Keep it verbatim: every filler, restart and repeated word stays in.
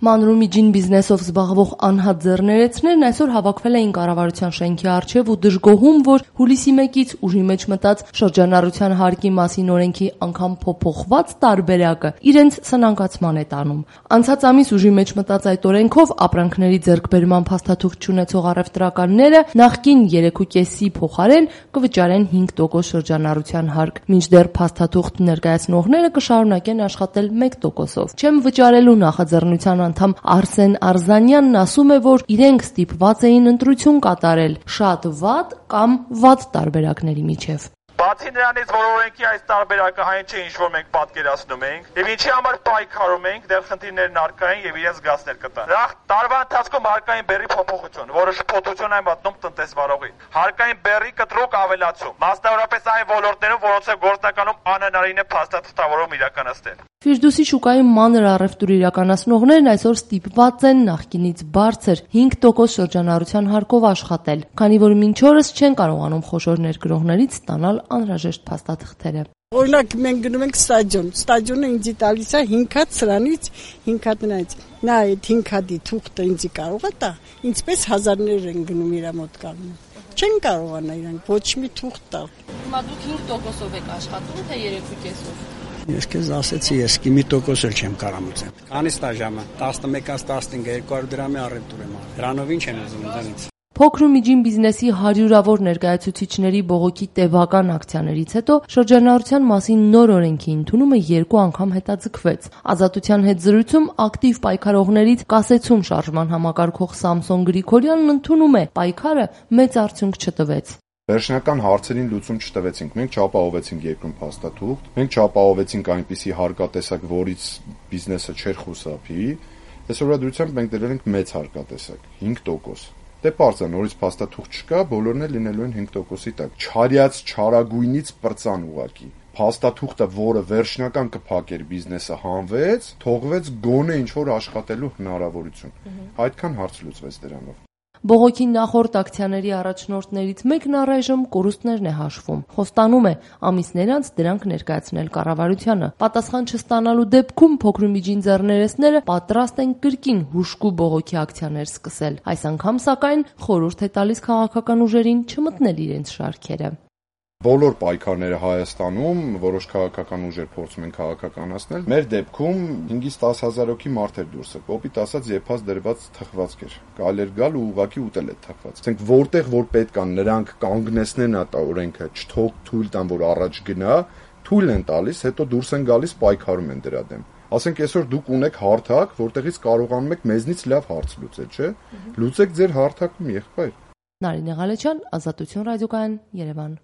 Մանրումիջին բիզնեսով զբաղվող անհատ ձեռներեցներն այսօր հավաքվել էին կառավարության շենքի առջև ու դժգոհում, որ հուլիսի մեկից ուժի մեջ մտած շրջանառության հարկի մասին օրենքի անգամ փոփոխված տարբերակը իրենց սնանկացման է տանում։ Անցած ամիս ուժի մեջ մտած այդ օրենքով ապրանքների ձեռքբերման փաստաթուղթ չունեցող առևտրականները նախկին երեք ու կեսի փոխարեն կվճարեն հինգ տոկոս շրջանառության հարկ, մինչդեռ փաստաթուղթ ներկայացնողները կշարունակեն աշխատել մեկ տոկոսով։ Չեմ վճարելու նախաձեռնության անդամ Արսեն Արզանյանն ասում է, որ իրենք ստիպված էին ընտրություն կատարել շատ վատ կամ վատ տարբերակների միջև։ Բացի նրանից, որ օրենքի այս տարբերակը հայն չէ, ինչ որ մենք պատկերացնում ենք, եւ ինչի համար պայքարում ենք, դեռ խնդիրներն առկա են եւ իրենց զգացներ կտան։ Նախ տարվա ընթացքում հարկային բեռի փոփոխություն, որը շփոթություն է մտնում տնտեսվարողին։ Հարկային բեռի կտրուկ ավելացում, մասնավորապես այն ոլորտներում, որոնց գործնականում անհնարին է փաստաթղթավորում իրականացնել։ Ֆիրդուսի շուկայում մանր առևտուր իրականացնողներն այսօր ստիպված են նախկինից բարձր հինգ տոկոս շրջանառության հարկով աշխատել, քանի որ մինչ օրս չեն կարողանում խոշոր ներգրողներից ստանալ անհրաժեշտ փաստաթղթերը։ Օրինակ մենք գնում ենք ստադիոն, ստադիոնը ինձ տալիս է հինգ հատ սրանից, հինգ հատ նրանից։ Նա այդ հինգ հատի թուղթը ինձ կարող է տա, ինչպես հազարներ են գնում իր մոտ կանում։ Չեն կարողանա իրանք ոչ մի թուղթ տալ։ Հիմա դուք հինգ տոկոսով եք աշխատում, թե երեք ու կեսով։ Ես քեզ ասեցի, ես մի տոկոս էլ չեմ կարամուծել։ Քանից տա ժամը, տասնմեկից տասնհինգ, երկու հարյուր դրամի առևտուր եմ արել։ Դրանով ինչ են ուզում դրանից։ Փոքր ու միջին բիզնեսի հարյուրավոր ներկայացուցիչների բողոքի տևական ակցիաներից հետո շրջանառության մասին նոր օրենքի ընդունումը երկու անգամ հետաձգվեց։ Ազատության հետ զրույցում ակտիվ պայքարողներից կասեցում շարժման համակարգող Սամսոն Գրիգորյանն ընդունում է, պայքարը մեծ արդյունք չտվեց։ Վերջնական հարցերին լուծում չտվեցինք, մենք չապահովեցինք երկրում փաստաթուղթ, մենք չապահովեցինք այնպիսի հարկատեսակ, որից բիզնեսը չէր խուսափի, այսօրվա դրությամբ մենք դրել ենք մեծ հարկատեսակ, հինգ տոկոս։ Դե պարզ է, նորից փաստաթուղթ չկա, բոլորն էլ լինելու են հինգ տոկոսի տակ։ Չարյաց չարագույնից պրծան ուղակի։ Փաստաթուղթը, որը վերջնական կփակեր բիզնեսը, հանվեց, թողվեց գոնե ինչ-որ աշխատելու հնարավորություն։ Այդքան հարց լուծվեց դրանով։ Բողոքի նախորդ ակցիաների առաջնորդներից մեկն առայժմ կորուստներն է հաշվում։ Խոստանում է ամիսներ անց դրանք ներկայացնել կառավարությանը։ Պատասխան չստանալու դեպքում փոքր ու միջին ձեռներեցները պատրաստ են կրկին հուժկու բողոքի ակցիաներ սկսել։ Այս անգամ սակայն խորհուրդ է տալիս քաղաքական ուժերին չմտնել իրենց շարքերը։ Բոլոր պայքարները Հայաստանում որոշ քաղաքական ուժեր փորձում են քաղաքականացնել։ Մեր դեպքում հինգից տաս հազար հոգի մարդեր դուրս է։ Կոպիտ ասած եփած դրված թխվածք էր։ Կարելի էր գալ ու ուղակի ուտել այդ թխվածքը։ Ասենք որտեղ որ պետք է նրանք կանգնեցնեն այդ օրենքը, չթող թույլ տան, որ առաջ գնա, թույլ են տալիս, հետո դուրս են գալիս պայքարում են դրա դեմ։ Ասենք այսօր դուք ունեք հարթակ, որտեղից կարողանում եք մեզնից լավ հարց լուծել, չէ՞։ Լուծեք ձեր հարթակում, եղբայր։ Նարինե Ղալեչյան, Ազատություն ռադիոկայան, Երևան։